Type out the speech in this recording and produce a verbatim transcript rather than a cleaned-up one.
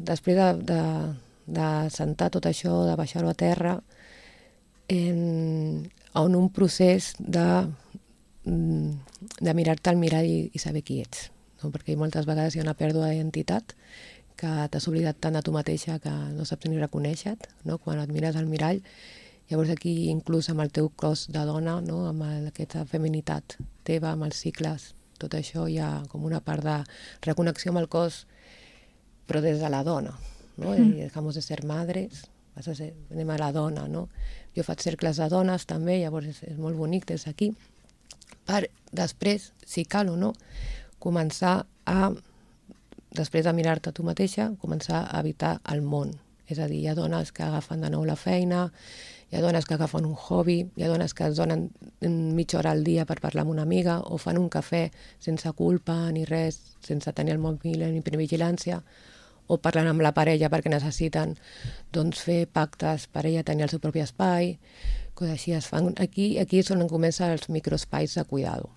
després de, de, de sentar tot això, de baixar-ho a terra, en, en un procés de, de mirar-te al mirall i, i saber qui ets. No? Perquè moltes vegades hi ha una pèrdua d'identitat, que t'has oblidat tant a tu mateixa que no saps ni reconèixer-te, no? Quan et mires al mirall. Llavors aquí, inclús amb el teu cos de dona, no? Amb el, aquesta feminitat teva, amb els cicles, tot això hi ha com una part de reconnexió amb el cos, però des de la dona, no? Mm. I dejamos de ser madres, vas a ser, anem a la dona, no? Jo faig cercles de dones també, llavors és, és molt bonic des d'aquí, per després, si cal o no, començar a, després de mirar-te tu mateixa, començar a habitar el món. És a dir, hi ha dones que agafen de nou la feina, hi ha dones que agafen un hobby, hi ha dones que es donen mitja hora al dia per parlar amb una amiga o fan un cafè sense culpa ni res, sense tenir el mòbil ni vigilància, o parlen amb la parella perquè necessiten doncs, fer pactes per ella tenir el seu propi espai, coses així es fan. Aquí, aquí és on comencen els microespais de cuidado.